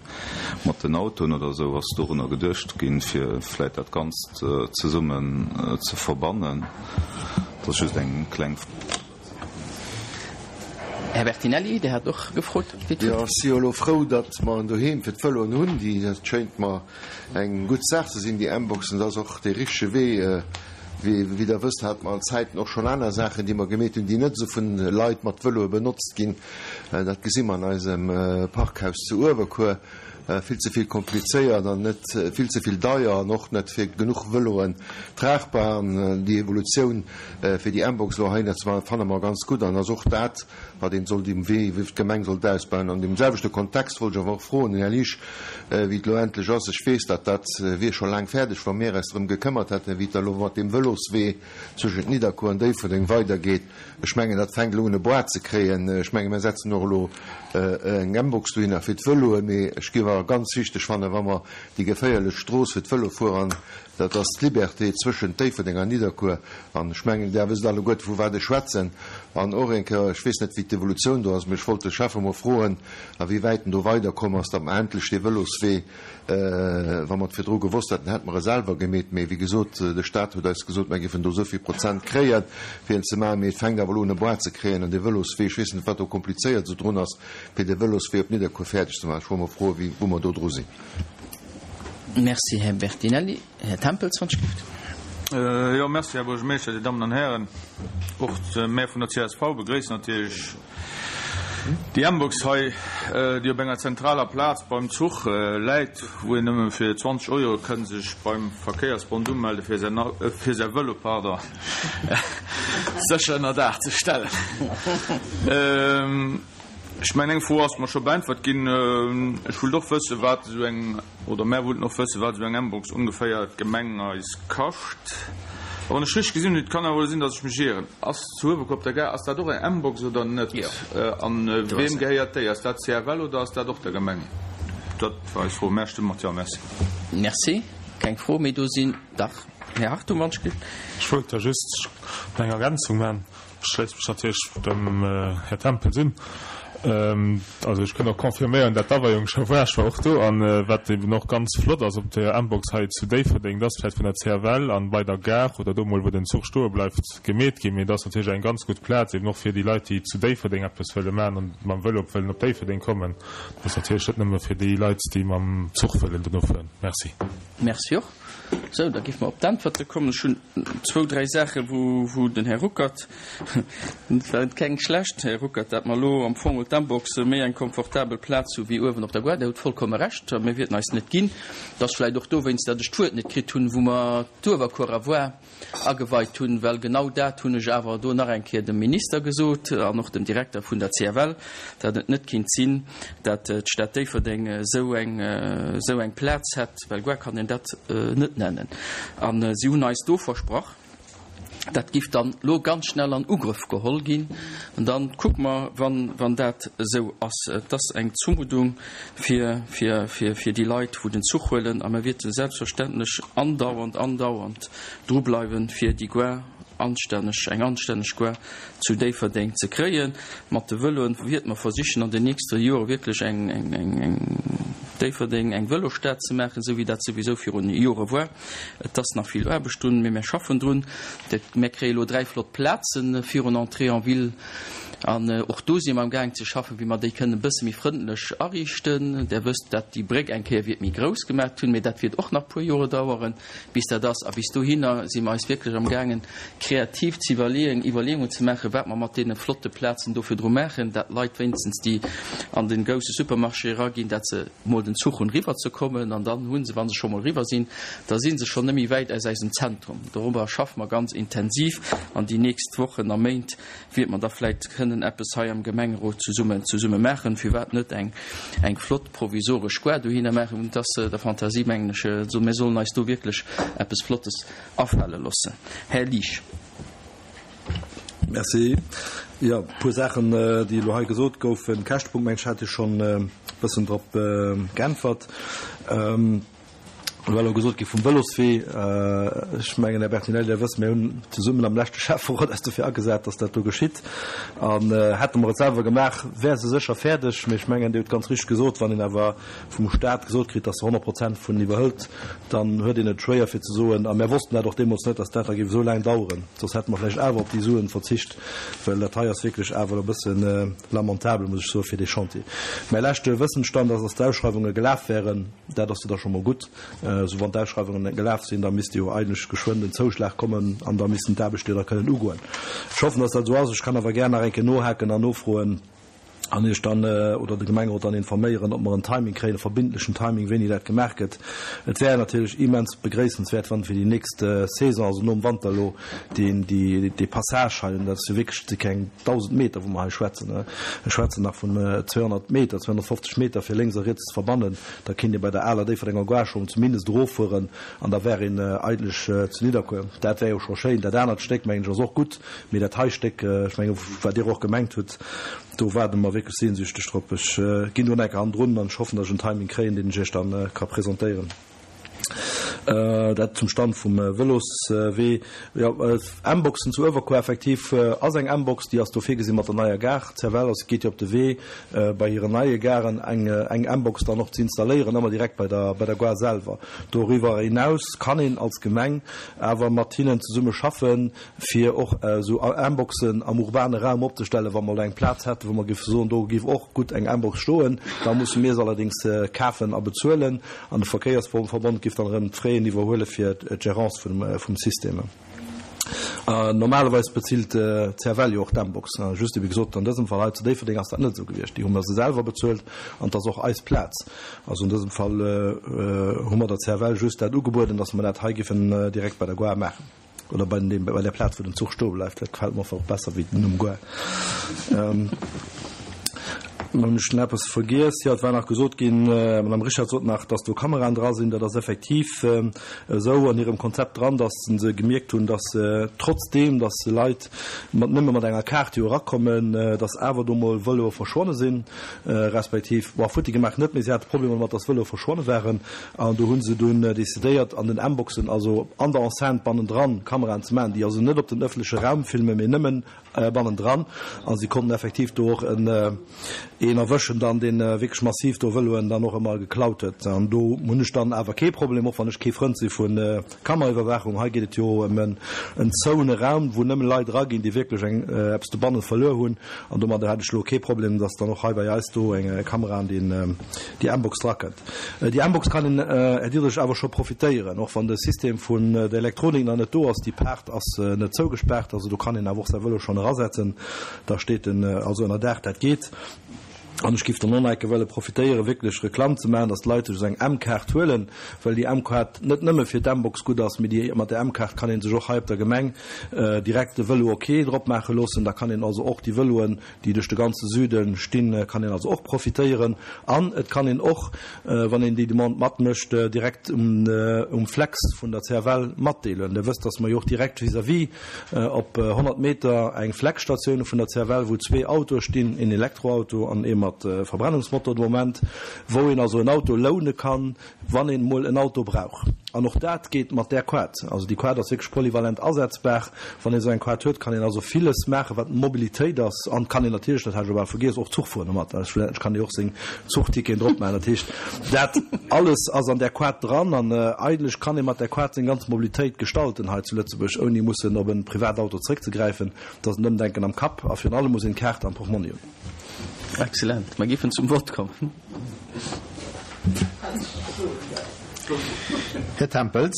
mat den Autoen oder esou? Ass dorunner geduecht ginn, fir vläicht dat Ganzt zesummen ze verbannen? Dat ass just eng kleng Fro. Här Bertinelli, Dir hat och gefrot. Jo, ech si jo elo frou, datt mer en Doheem fir d'Vëloen hunn. Déi, dat schéint mer eng gutt Saach ze sinn, déi mBoxen. Dat ass och dee richtege Wee. Wéi, wéi Der wësst, hate mer an Zäiten och schonn aner Saachen, déi mer gemeet hunn, déi net esou vun Leit mat Vëloe benotzt ginn. Dat gesi mer an eisem Parkhaus zu Uewerkuer. Vill ze vill komplizéiert an net vill ze vill deier an och net fir genuch Vëloen tragbar. An déi Evolutioun fir déi mBox elo heihinner ze maachen, fanne mer ganz gutt an ass och dat, wat een sollt um Wee, wéi d'Gemeng sollt ausbauen. An deem selwechte Kontext wollt ech awer och froen, den Här Liesch, wéi et elo endlech ass. Ech weess, datt dat wier scho laang fäerdeg, wa mir eis drëm gekëmmert hätten, wéi et da elo mat deem Vëloswee zwëschent Nidderkuer an Déifferdeng weidergeet. Ech mengen, dat fänkt elo un e Boîte ze kréien. Ech menge mir setzen och elo eng mBox dohinner fir d'Vëloen. Mee ech géif awer ganz wichteg fannen, wa mer déi geféierlech Strooss fir d'Vëlofuerer, an dat ass d'Liberté zwëschent Déifferdeng an Nidderkuer, an ech mengen, Där wësst alleguerte vu wat ech schwätzen, an och eng Kéier, ech weess net wéi d'Evolutioun do ass, mee ech wollt de Schäffe mol froen, a wéi wäit en do weiderkomm ass, datt mer endlech dee Vëloswee, Wa mer et virdru gewosst hätten, hätte mer e selwer gemeet. Mee wéi gesot, de Stat huet eis gesot, mer géifen do esou vill Prozent kréien, fir en ze maachen. Mee et fänkt awer elo un e Boîte ze kréien. An dee Vëloswee, ech weess net, wat do komplizéiert esou drun ass, fir dee Vëloswee op Nidderkuer fäerdeg ze maachen. Ech wollt mol froen, wéi, wou mer do dru sinn. Merci, Här Bertinelli. Här Tempels, wann ech gelift. Jo, merci, Här Buergermeeschter, Dir Dammen an Hären. Och mär vun der csv begréissen natierlech déi mBox hei, déi op enger zentraler Plaz beim Zuch läit, wou een nëmme fir 20 Euro kënn sech beim Verkéiersbond umelde fir säin, fir säi Vëlo, pardon, sécher ënner Daach ze stellen. Ech mengen, eng Fro ass mer scho beäntwert ginn. Ech wullt och wëssen, wat esou eng, oder mär wullten och wëssen, wat esou eng mBox ongeféier d'Gemeng eis kascht. A wann ech richteg gesinn hunn, et kann awer elo sinn, datt ech mech ieren, ass zu Uewerkuer op der Gare, ass dat och eng mBox oder net? An weem gehéiert déi? Ass dat CFL oder ass dat och der Gemeng? Dat war eis Fro. Mär stëmme mat Jo. Merci. Merci. Keng Fro méi do sinn. Dach, Här Hartung, wann ech gelift. Ech wollt da just eng Ergänzung maachen. Ech schléisse mech natierlech dem Här Tempels un. Also ech kënn och confirméieren, dat d'Aweiung scho war. Ech war och do. An wat eben och ganz flott ass op der mBox hei zu Déifferdeng, dat ass vläicht vun der CFL an bei der Gare oder do mol wou den Zuch stoe bleift gemeet ginn. Mee et ass natierlech eng ganz gutt Plaz eben och fir déi Leit, déi zu Déifferdeng eppes wëlle maachen an mam Vëlo wëllen op Déifferdeng kommen. Dat ass natierlech net nëmme fir déi Leit, déi mam Zuch wëllen dono fueren. Merci. Merci och. Sou, da géife mer op d'Äntwerte kommen. Ech hunn zwou, dräi Saachen, wou, wou den Här Ruckert, et war keng schlecht, Här Ruckert, dat mer elo am Fong op d'mBox méi eng komfortabel Plaz hu wéi uewen op der Gare. Der hutt vollkomme Recht, a mir wierten eis net ginn. Et ass vläicht och dowéinst, datt ech d'Wuert net kritt hunn, wou mer d'Uewerkuerer Voie ageweit hunn, well genau dat hunn ech awer do nach eng Kéier dem Minister gesot an och dem Direkter vun der CFL, datt et net kinnt sinn, datt d'Stad Déifferdeng esou eng, esou eng Plaz hätt, well Gare kann een dat net nennen. A si hunn eis do versprach, dat giff dann elo ganz schnell an Ugrëff geholl ginn. An da kucke mer, wann, wann dat esou ass. Et ass eng Zumuddung fir, fir, fir, fir déi Leit, wou den Zuch huelen. A mer wierte selbstverständlech andauernd, andauernd drubleiwen, fir déi Gare. anstänneg, eng anstänneg Gare zu Déifferdeng ze kréien. Mat de Vëloen wierte mer versichen an den nächste Jore wierklech eng, eng, eng, eng Déifferdeng eng Vëlosstad ze maachen, esou wéi dat souwisou virun Jore war. Et ass nach vill Aarbecht drun, mee mär schaffen drun. Mär kréie lo 3 flott Plazen virun Entrée en ville an och do si mer am gaang ze schaffen, wéi mer déi kënnen e bësse méi frëndlech ariichten. Der wësst, dat déi Bréck eng Kéier wiert méi grouss gemaat hunn, mee dat wiert och nach puer Jore daueren. Bis dat ass, a bis dohinner si mer eis wierklech am gaangen, kreativ ze iwwerleeën, Iwwerleeungen ze maachen, wat mer mat deene flotte Plazen do virdru maachen, dat d'Leit wéinstens, déi an de grousse Supermarché eraginn, dat se mol den Zuch hunn, eriwwer ze kommen. An dann hu se, wa se scho mol eriwwer sinn, da si se schonn net méi wäit aus eisem Zentrum. Dorobber schaffe mer ganz intensiv an déi nächst Wochen a Méint wiert mer da vläit kënnen eppes hei am Gemengerot zesummen zesumme maachen, firwat net eng eng flott provisoresch Gare dohinner maachen, et ass der Fantasie, mengen ech, esou, mir sollen eis do wierklech eppes Flottes afale loossen. Här Liesch. Merci. Jo, e puer Saachen, déi elo hei gesot goufen. Käschtepunkt, mengen ech, hat ech schonn e bëssen drop geäntwert. Et war elo gesot gi vum Vëloswee. Ech mengen, Här Bertinelli, Der wësst, mir hunn zesummen am leschte Schäfferot eis dofir agesat, dass dat do geschitt. An hätte mer et selwer gemaach, wär se sécher fäerdeg. Mee ech mengen, Dir hutt ganz richteg gesot, wann een awer vum Stat gesot kritt, dass e 100 Prozent vun iwwerhëlt, dann huet een et schwéier fir ze soen, a mär wossten dat och deemools net, dass dat da géif esou laang daueren, soss hätte mer vläicht awer op déi Suen verzicht, well dat hei ass wierklech awer e bësse lamentabel, muss ech soen, fir dee Chantier. Mäi leschte Wëssensstand ass, dass d'Ausschreiwunge gelaf wären. Dat ass jo da scho mol gutt. Esou wann d'Ausschreiwungen net gelaf sinn, da misst jo eigentlech geschwënn den Zouschlag kommen an da missten d'Aarbechte jo da kënnen ugoen. Ech hoffen, dass dat esou ass. Ech kann awer gär nach eng Kéier nohaken an nofroen an Iech dann oder de Gemengerot dann informéieren, ob mer en Timing kréien, e verbindlechen Timing, wéini dat gemaach gëtt. Et wär natierlech immens begréissenswäert, wann fir déi nächst Saison, also nom Wanter elo, deen, déi, dee Passage hei, dat ass jo wierklech, et si keng 1.000 Meter, wou mer hei schwätzen, ech schwätzen nach vun 200 Meter, 250 Meter fir lénks a riets ze verbannen, da kéint ee bei der aler Déifferdenger Gare schonn zumindest eroffueren an da wär een eigentlech zu Nidderkuer. Dat wär jo scho schéin. Dat anert Stéck, mengen ech, ass och gutt, mee dat hei Stéck, ech menge wat Dir och gemengt hutt, do waarde mer wierklech sehnsüchteg drop. Ech ginn do nach eng Kéier hannendrun an ech hoffen, datt ech en Timing kréien, deen ech Iech da ka presentéieren. Dat zum Stand vum Vëloswee. Jo, M-Boxen zu Uewerkuer, effektiv ass eng M-Box, déi ass do virgesinn mat der neier Gare. D'CFL ass, geet jo op de Wee, bei hiren neie Garen eng eng M-Box dann och ze installéieren, ëmmer direkt bei der bei der Gare selwer. Doriwwer hinaus kann een als Gemeng awer mat hinnen zesumme schaffen, fir och esou M-Boxen am urbane Raum opzestellen, wa mer elo eng Plaz hätten, wou mer géife soen, do géif och gutt eng M-Box stoen. Da musse mir se allerdéngs kafen a bezuelen an de Verkéiersverbond géif dann erëm d'Fraisen iwwerhuele fir d'Gérance vum System. Normalerweis bezilt d'CFL jo och d'M-Box. Just ewéi gesot, an dësem Fall hei zu Déifferdeng ass dat net esou gewiescht. Déi hu mer se selwer bezuelt an et ass och eis Plaz. Also an dësem Fall hu mer der CFL just dat ugebueden, datt mer dat hei géifen direkt bei der Gare maachen. Oder bei dem, bei der Plaz, wou den Zuch stoe bleift. Dat gefält mer einfach besser wéi den Numm Gare. Ähm, hunn ech nach eppes vergiess? Jo, et war nach gesot ginn, d'Madame Richard sot nach, dass do Kameraen dra sinn. Dat ass effektiv esou an hirem Konzept dran, dass se gemierkt hunn, dass trotzdeem, dass Leit mat nëmme mat enger Kaart jo erakommen, dass awer do mol Vëloe verschwonne sinn, respektiv, bon, futti gemaach net, mee si hate Problemer domat, dass Vëloe verschwonne waren. An do hu se dunn decidéiert, an den M-Boxen, also an der Enceinte bannendran, Kameraen ze maachen, déi also net op den ëffentleche Raum filmen, mee nëmmen bannendran. A si konnten effektiv do och en een erwëschen dann, dee wierklech massiv do Vëloen dann och ëmmer geklaut huet. An do hunn ech dann awer kee Problem, och wann ech kee Frënd si vu Kameraiwwerwaachung. Hei geet et jo ëm en zouene Raum, wou nëmme Leit eraginn, déi wierklech eng eppes dobanne verluer hunn. An domadder hätt ech elo kee Problem, dass dann och hei bei eis do eng Kamera an deen déi M-Box drakënnt. Déi M-Box kann een, Här Diderich, awer scho profitéieren, och wann de System vun der Elektronik nach net do ass. Déi Paart ass net zougespaart, also do kann een awer och säi Vëlo schonn erasetzen. Da steet en also ënner Daach, dat geet. An ech géif dann och nach eng Kéier wëlle profitéieren, wierklech Reklamm ze maachen, dass d'Leit sech esou eng M-Kaart huelen, well déi M-Kaart net nëmme fir d'M-Box gutt ass, mee déi, mat der M-Kaart kann ee sech och hei op der Gemeng direkt de Vëlo ok drop maache loossen. Da kann een also och déi Vëloen, déi duerch de ganze Süde stinn, kann een also och profitéieren. An et kann een och, wann een déi Demande matmécht, direkt um Flex vun der CFL matdeelen. Der wësst, dass mer jo och direkt vis-à-vis op 100 Meter eng Flex-Statioun hu vun der CFL, wou zwee Autoe stinn, een Elektroauto an ee mat Verbrennungsmotor de Moment, wou een also en Auto loune kann, wann een emol en Auto brauch. An och dat geet mat där Quad. Also déi Quad ass wierklech polyvalent asetzbar. Wann ee sou eng Quad huet, kann een also villes maachen, wat Mobilitéit ass. An kann een natierlech, dat hat ech elo bal vergiess, och Zuch fueren domat. Schlussendlech kann ee och seng Zuchticketen drop maachen. Dat heescht, dat alles ass an där Quad dran. An eigentlech kann ee mat där Quad seng ganz Mobilitéit gestalten hei zu Lëtzebuerg, ouni mussen op e Privatauto zréckzegräifen. Dat ass en Ëmdenken am Kapp a virun allem muss een d'Kaart am Portmonni hunn. Excellent. Mer géifen zum Vott kommen. Här Tempels?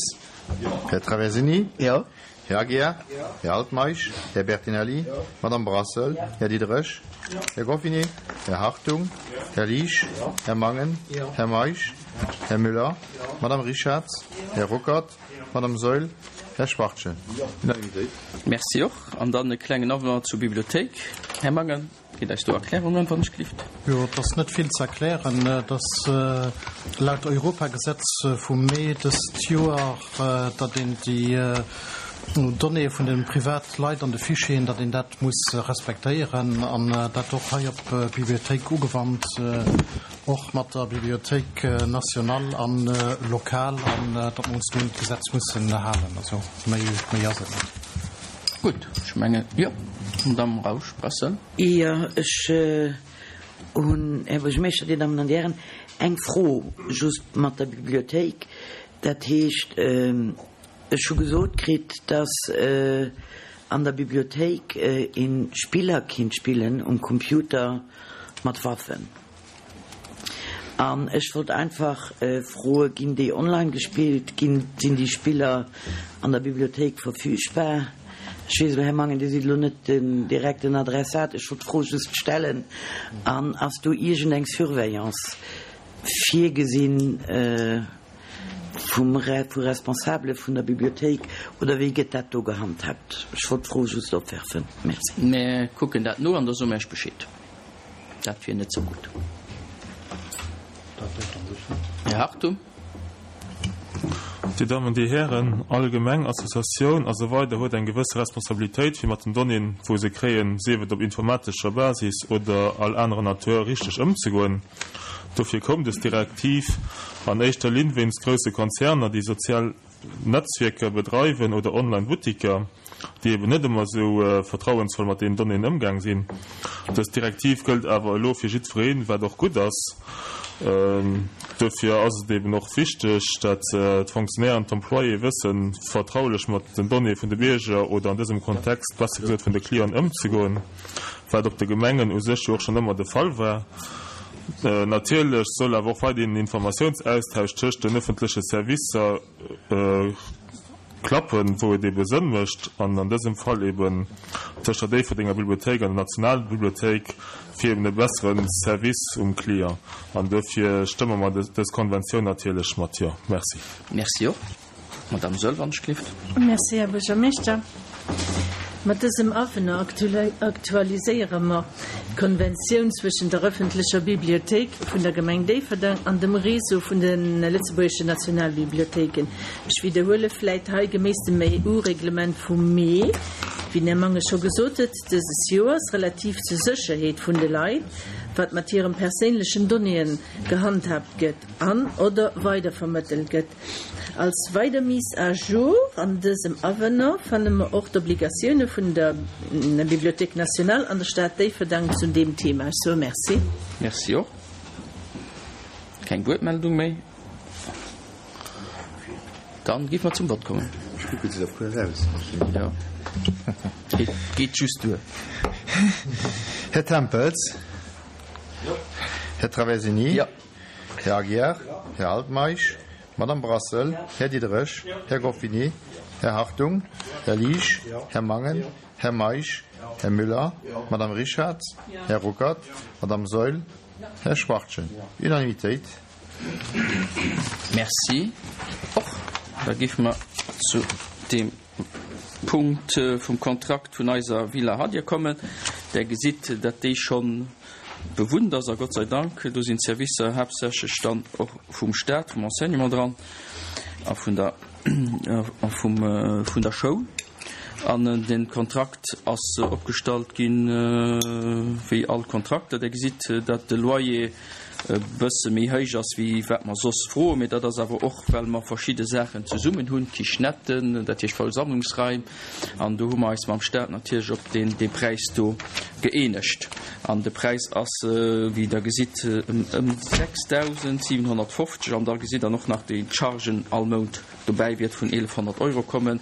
Här Traversini? Här Aguiar? Här Altmeisch? Här Bertinelli? Madame Brassel? Här Diderich? Här Goffinet? Här Hartung? Här Liesch? Här Mangen? Här Meisch? Här Müller? Madame Richarz? Här Ruckert? Madame Saeul? Här Schwachtgen? Unanimitéit. Merci och. An dann e klengen Avenant zur Bibliothéik. Här Mangen? Gitt eis do Erklärungen, wann ech gelift. Jo, et ass net vill ze erklären. Et ass laut Europagesetz vum Mee dëst Joer, datt een déi Donnéeë vun de Privatleit an de Fichieren, datt een dat muss respektéieren an dat och hei op d'Bibliothéik ugewannt, och mat der Bibliothéik nationale an lokal, an datt mer ons do un d'Gesetz mussen halen. Also méi, méi ass et net. Gutt, ech mengen, jo, Madamm Rausch-Brassel. Jo, ech hunn, Här Buergermeeschter, Dir Dammen an Dir Hären, eng Fro just mat der Bibliothéik. Dat heescht, ech hu gesot kritt, dass an der Bibliothéik ee Spiller kinnt spillen um Computer mat Waffen. An ech wollt einfach froe, ginn déi online gespillt? Ginn, sinn déi Spiller an der Bibliothéik verfügbar? Ech weess elo, Här Mangen, Dir sidd elo net den direkten Adressat, ech wollt d'Fro just stellen. An ass do iergendeng Surveillance virgesinn vum, vu Responsabele vun der Bibliothéik oder wéi gëtt dat do gehandhabt? Ech wollt d'Fro just opwerfen. Merci. Mir kucken dat no an da soe mer Iech Bescheed. Dat wier net sou gutt. Här Hartung. Dir Dammen, Dir Hären, all Gemeng, Associatioun a sou weider huet eng gewësse Responsabilitéit, fir mat den Donnéeën, wou se kréien, sief et op informatescher Basis oder all anerer Natur, richteg ëmzegoen. Dofir koum dës Direktiv an éischter Linn wéinst grousse Konzerner, déi sozial Netzwierker bedreiwen oder Online-Buttiker, déi eben net ëmmer esou vertrauensvoll mat deenen Donnéeën ëmgaang sinn. Dës Direktiv gëllt awer elo fir jiddwereen, wat och gutt ass. Duerfir ass et eben och wichteg, dat d'Fonctionnaires an d'Employéë wëssen, vertraulech mat den Donnéeë vun de Bierger oder an dësem Kontext besser gesot vun de Clienten ëmzegoen, wat op de Gemengen u sech jo och schonn ëmmer de Fall war. Natierlech soll awer och weiderhin den Informatiounsaustausch tëscht den ëffentleche Servicer klappen, wou et ebe Sënn mécht, an an dësem Fall eben tëscht der Déifferdenger Bibliothéik an der Nationalbibliothéik, fir eben e bessere Service um Client. An duerfir stëmme mer dës Konventioun natierlech mat Jo. Merci. Merci och. Madame Saeul, wann ech gelift. Merci, Här Buergermeeschter. Mat dësem Avenant aktualiséiere mer d'Konventioun zwëschen der ëffentlecher Bibliothéik vun der Gemeng Déifferdeng an dem Réseau vun de lëtzebuergeschen Nationalbibliothéiken. Ech widderhuele vläit hei, geméiss dem EU-Reglement vum Mee, wéi den Här Mangen scho gesot huet, dëses Joers, relativ zur Sécherheet vun de Leit, wat mat hirem perséinlechen Donnéeën gehandhaabt gëtt an, oder weidervermëttelt gëtt. Als weider Mise à jour an dësem Avenant fanne mer och d'Obligatioune vun der Bibliothèque nationale an der Stad Déifferdang zu deem Thema. Ech soe Merci. Merci och. Keng Wuertmeldung méi? Dann géife mer zum Vott kommen. Ech kucken, et seet awer cool aus. Jo, et geet just duer. Här Tempels? Jo. Här Traversini? Jo. Här Aguiar, Här Altmeisch, Madame Brassel, Här Diderich, Här Goffinet, Här Hartung, Här Liesch, Här Mangen, Här Meisch, Här Müller, Madame Richarz, Här Ruckert, Madame Saeul, Här Schwachtgen. Unanimitéit. Merci och. Da géife mer zu deem Punkt vum Kontrakt vun eiser Villa Hadir kommen. Der gesitt, datt déi schonn bewunnt ass, a Gott sei Dank, do sinn d'Servicer haaptsächlech dann och vum Stat, vum Enseignement dran a vun der, a vum, vun der Schoul. An de Kontrakt ass opgestallt ginn, wéi all Kontrakter. Der gesitt, datt de Loyer. e bësse méi héich ass wéi wat mer soss froen. Mee dat ass awer och, well mer verschidde Saachen zesummen hunn, Kichenetten, dat heescht Versammlungsraim, an do hu mer eis mam Stat natierlech op deen dee Präis do gëeenegt. An de Präis ass, wéi Der gesitt, ëm 6.750 an da gesitt Der och nach déi Chargen all Mount dobäi wäert vun 1.100 Euro kommen.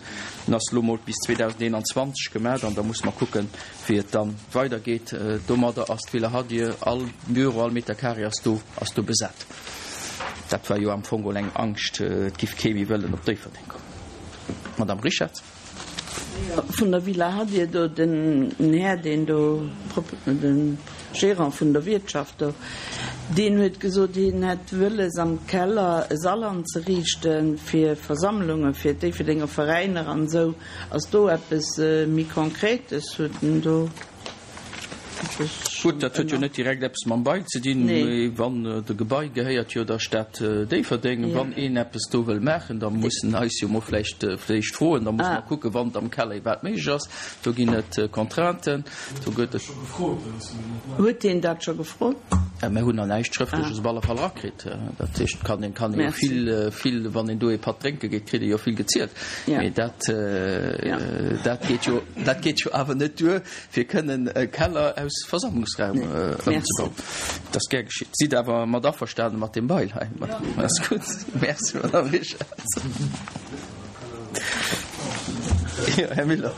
En ass elo mol bis 2021 gemat an da musse mer kucken, wéi et da weidergeet. Domadder ass d'Villa Hadir, all Büro, all Meter carré ass do, ass do besat. Dat war jo am Fong geholl eng Angscht, et giff kee méi wëllen op Déifferdeng kommen. Madame Richard. Vun der Villa Hadir do, den Här, deen do, de Gérant vun der Wiertschaft do, deen huet gesot, hien hätt wëlles am Keller e Sall anzeriichte fir Versammlunge fir d'Déifferdenger Veräiner an esou. Ass do eppes méi Konkretes? Huet en do eppes Gutt, dat huet jo net direkt eppes mam Bail ze dinn, mee wann de Gebai gehéiert jo der Stad Déifferdeng. Wann een eppes do wëll maachen, da muss en eis jo mol vläicht vläicht froen. Da musse mer kucken, wann et am Keller iwwerhaapt méiglech ass. Do ginn et Contrainten. Do gëtt et. Huet hien dat scho gefrot? Mir hunn nach näischt Schrëftleches op alle Fall erakritt. Dat heescht, kann een, kann ee vill, vill, wann een do ee Patt drénke geet, kritt ee jo vill gezielt. Mee dat, dat geet jo, dat geet jo awer net duer, fir kënnen e Keller aus Versammlungsraum ëmzebauen. Dat ass gär geschitt. Sidd awer mat averstanen mat deem Bail hei? Dat ass gutt. Merci, Madame Richarz. Jo, Här Miller.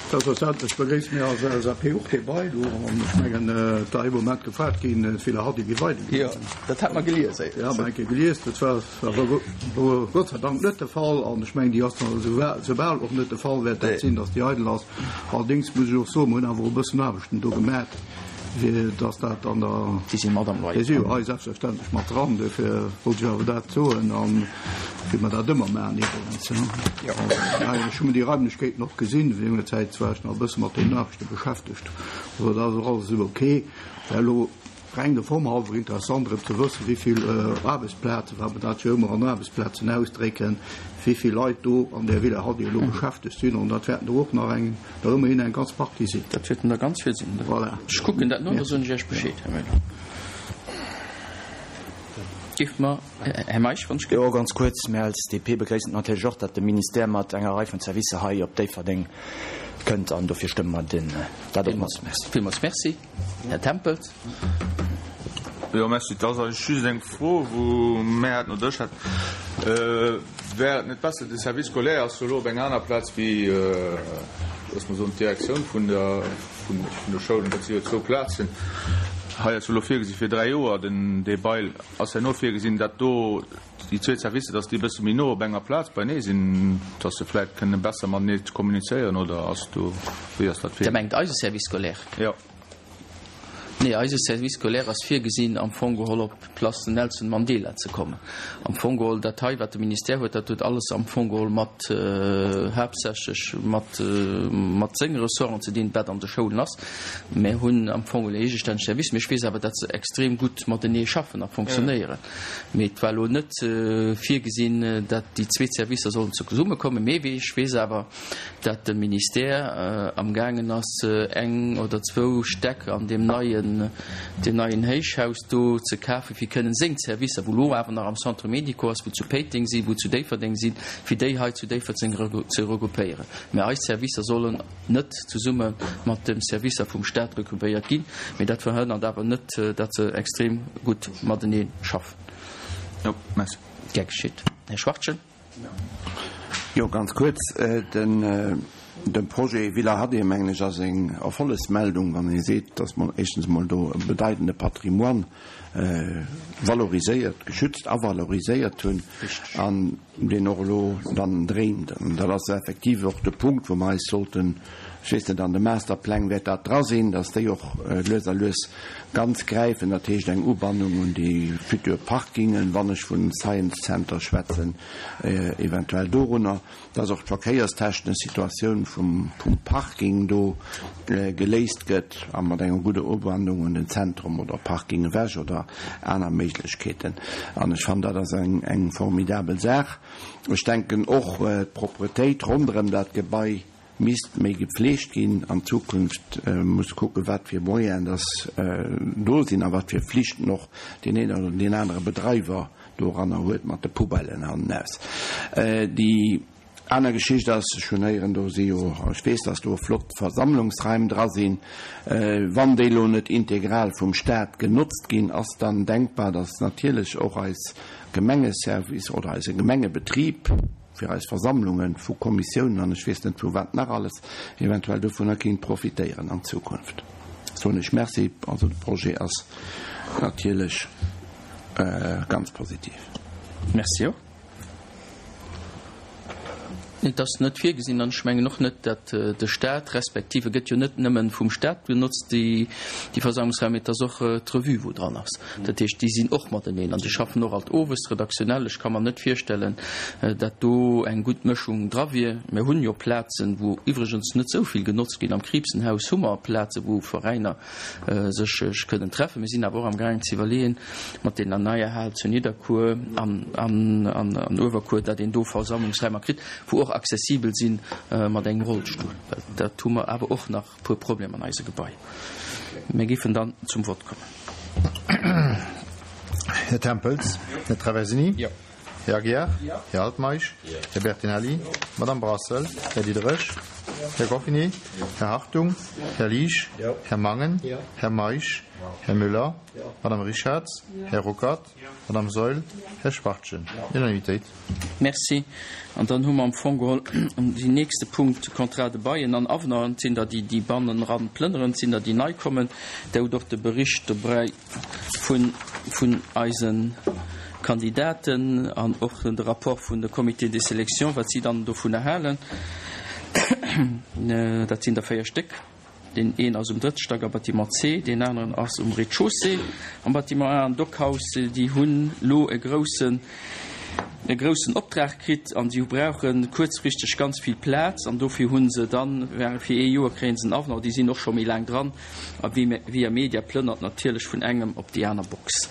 Selbstverständlech begréisse mir als LSAP och dee Bail do. An ech mengen, et war ee Moment gefrot ginn, d'Villa Hardy géif eidel ginn. Jo, dat hat mer gelies. Jo, hat mer eng Kéier gelies. Dat war awer Gott sei Dank net de Fall. An ech mengen, déi ass dann esoubal och net de Fall wäert dat sinn, datt déi eidel ass. Allerdéngs muss ech och soen, mer hunn awer och e bëssen Aarbechten do gemat. Fir dass dat an der. Déi si mat am Loyer. Déi si jo hei selbstverständlech mat dran. Dofir wollt ech awer dat soen a wéi mer dat ëmmer maachen iwwregens. Jo. Ech hu mir déi Raimlechkeeten och gesinn. Wéi enger Zäit war ech nach e bësse mat deenen Aarbechte beschäftegt. Also dat ass och alles esou ok. Wär elo reng der Form halwer interessant erëm ze wëssen, wéi vill Aarbechtsplazen, well mer dat jo ëmmer an Aarbechtsplazen ausdrécken, wéi vill Leit do an där Villa Hadi elo beschäftegt sinn. An dat wäerten der och nach eng. Der ëmmerhin eng ganz Partie sinn. Dat wäerten der ganz vill sinn. Voilà. Ech kucken dat no, da soen ech Iech Bescheed, Här Müller. Géift mer, Här Meisch, wann ech. Jo, ganz kuerz. Mir als DP begréissen et natierlech och, datt de Ministère mat enger Rei vun Servicer hei op Déifferdeng kënnt an dofir stëmme mer den, dat och mat. Merci. Villmools Merci. Här Tempels. Jo, Merci. Et ass eigentlech just eng Fro, wou mär et no Dësch hat. Wär et net besser, de Service scolaire ass jo elo op enger aner Plaz wéi, loosse mer soen, d'Direktioun vun der, vun de Schoulen. Dat si jo zwou Plazen. Hei ass jo elo virgesi fir 3 Joer den, dee Bail ass herno virgesinn, dat do, déi zweet Servicer, datt déi e bësse méi no op enger Plaz beinee sinn, datt se vläicht kënne besser matenee kommunizéieren, oder ass do, wéi ass dat virgesinn? Dir mengt eise Service scolaire? Jo. Nee, eise Service scolaire ass virgesinn, am Fong geholl op d'Place Nelson Mandela ze kommen. Am Fong geholl dat hei, wat de Ministère huet, dat huet alles am Fong geholl mat, haaptsächlech mat, mat senge Ressorten ze dinn, wat an de Schoulen ass. Mir hunn am Fong geholl en eegestänneg Service, mee ech weess awer, datt se extrem gutt matenee schaffen a fonctionnéieren. Mee et war elo net virgesinn, datt déi zweet Servicer sollen zesummekommen. Mee ech weess awer, dat de Ministère amgaangen ass, eng oder zwou Stäck an deem neien, deem neien Héichhaus do ze kafen, fir kënnen seng Servicer, wou elo awer nach am Centre médico ass, wou zu Péiteng sinn, wou zu Déifferdeng sinn, fir déi hei zu Déifferdeng ze regroupéieren. Mä eis Servicer sollen net zesumme mat de Servicer vum Stat regroupéiert ginn. Mee dat verhënnert awer net, dat se extrem gutt matenee schaffen. Jo, merci. Gär geschitt. Här Schwachtgen. Jo, ganz kuerz. De Projet Villa Haddé, mengen ech, ass eng Erfollegsmeldung, wann ee seet, datt mer éischtens emol do e bedeitende Patrimoine valoriséiert, geschützt a valoriséiert hunn an deen och elo dann dréint. An dat ass effektiv och de Punkt, wou mer eis sollten, ech weess net, an de Masterpläng wäert dat dra sinn, datt déi och lues a lues ganz gräifen, dat heescht eng Ubannung un déi futur Parkingen, wann ech vun Science Center schwätzen, eventuell dorunner, dass och d'verkéierstechnesch Situatioun vum Parking do geléist gëtt a mat enger gudder Ubannung un den Zentrum oder Parking ewech oder aner Méiglechkeeten. An ech fannen, dat ass eng formidabel Saach. Ech denken och d'Propretéit ronderëm dat Gebai. misst méi gepflegt ginn an Zukunft, muss kucken, wat fir Moyenen dass do sinn a wat fir Flichten och deen een oder deen anere Bedreiwer doranner huet mat de Poubellen hannenaus. Déi aner Geschicht ass, ech hunn héieren, do si jo, ech weess, dass do flott Versammlungsraim dra sinn, wann déi elo net integral vum Stat genotzt ginn, ass dann denkbar, dass natierlech och eis Gemengeservice oder eise Gemengebetrib fir eis Versammlungen vu Kommissiounen an ech weess net vu wat nach alles eventuell dovunner kéint profitéieren an Zukunft. Soen ech Merci. Also de Projet ass natierlech ganz positiv. Merci och. Et ass net virgesinn, an ech mengen och net, datt de Stat, respektiv e gëtt jo net nëmmen vum Stat benotzt, déi Versammlungsraim, mee et ass och d'Revue, wou dran ass. Dat heescht, déi sinn och mateneen an déi schaffen och alt owes redaktionell. Ech ka mer net virstellen, datt do eng gutt Mëschung dra wier. Mir hunn jo Plazen, wou iwwregens net esou vill genotzt ginn. Am Kriibsenhaus hu mer Plazen, wou Veräiner sech kënnen treffen. Mir sinn awer och am gaangen ze iwwerleeën, mat deener neier Hal zu Nidderkuer an an Uewerkuer, datt een do Versammlungsräimer kritt, wou och accessibel si mat engem Rollstull, well dat hu mer awer och nach e puer Problemer an eise Gebai. Mir géifen dann zum Vott kommen. Här Tempels, Här Traversini. Här Aguiar, Här Altmeisch, Här Bertinelli, Madame Brassel, Här Diderich, Här Goffinet, Här Hartung, Här Liesch, Här Mangen, Här Meisch, Här Müller, Madame Richarz, Här Ruckert, Madame Saeul, Här Schwachtgen. Unanimitéit. Merci. An dann hu mer am Fong geholl deen nächste Punkt, Contrat de bail an Avenant. Et sinn der, déi déi banneneran plënneren, et sinn der, déi nei kommen. Der hutt och de Bericht dobäi. vun vun eise Kandidaten an och de Rapport vun de Comités de sélection, wat si dann dovunner halen. Dat sinn der 4 Stéck. Deen een ass um drëtte Stack am Bâtiment C, deen aneren ass um Rez-de-chaussée am Bâtiment A. An Dockhaus, déi hunn elo e groussen, e groussen Optrag kritt an si brauche kuerzfristeg ganz vill Plaz an dofir hu se dann, fir ee Joer kréie se en Avenant, déi sinn och scho méi laang dran, A Via Media plënnert natierlech vun engem op déi aner Box,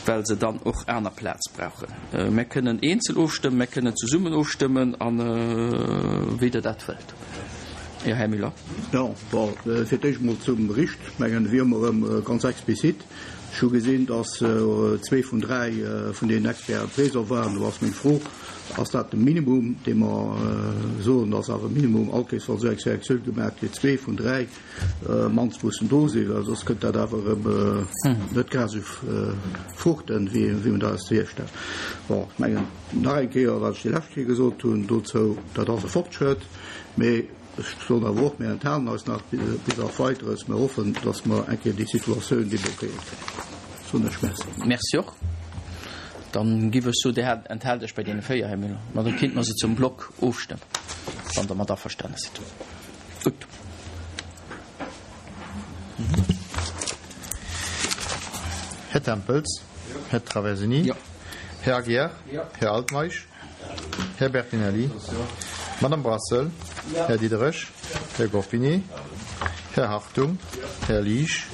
well se dann och aner Plaz brauchen. Mär kënnen eenzel ofstëmmen, mär kënnen zesummen ofstëmmen, a wéi Der dat wëllt. Jo, Här Müller. Jo, bon, fir d'éischt emol zum Bericht. Ech mengen, wéi ëmmer erëm ganz explizit. Ech hu gesinn, dass zwee vun dräi vun deenen Experten présent waren. Do ass meng Fro, Ass dat de Minimum, dee mer soen, ass awer e Minimum, all Kéiers wa sou eng Selektioun gemaach gëtt, zwee vun dräi mannst mussen do sinn, well soss kënnt dat awer erëm net grad esou fruchten, wéi wéi man dat eis virstellt. Bon, ech mengen nach eng Kéier, wat ech déi lescht Kéier gesot hunn dozou, dat ass e Fortschrëtt, mee ech soen awer och, mir enthalen eis nach bis auf Weiteres. Mir hoffen, datt mer eng Kéier déi Situatioun deblockéiert kréien. Soen ech Merci. Merci och. Dann giff ech soen, Dir hat enthaalt Iech bei deene 4, Här Müller. Ma da kéinte mer se zum Block ofstëmmen, wann Der mat averstane sidd. Gutt. Här Tempels, Här Traversini, Här Aguiar, Här Altmeisch, Här Bertinelli, Madame Brassel, Här Diderich, Här Goffinet, Här Hartung, Här Liesch,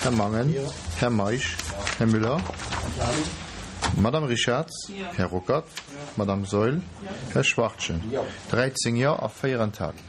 Här Mangen, Här Meisch, Här Müller, Madame Richarz, Här Ruckert, Madame Saeul, Här Schwachtgen. 13 Jo a 4 Enthalungen.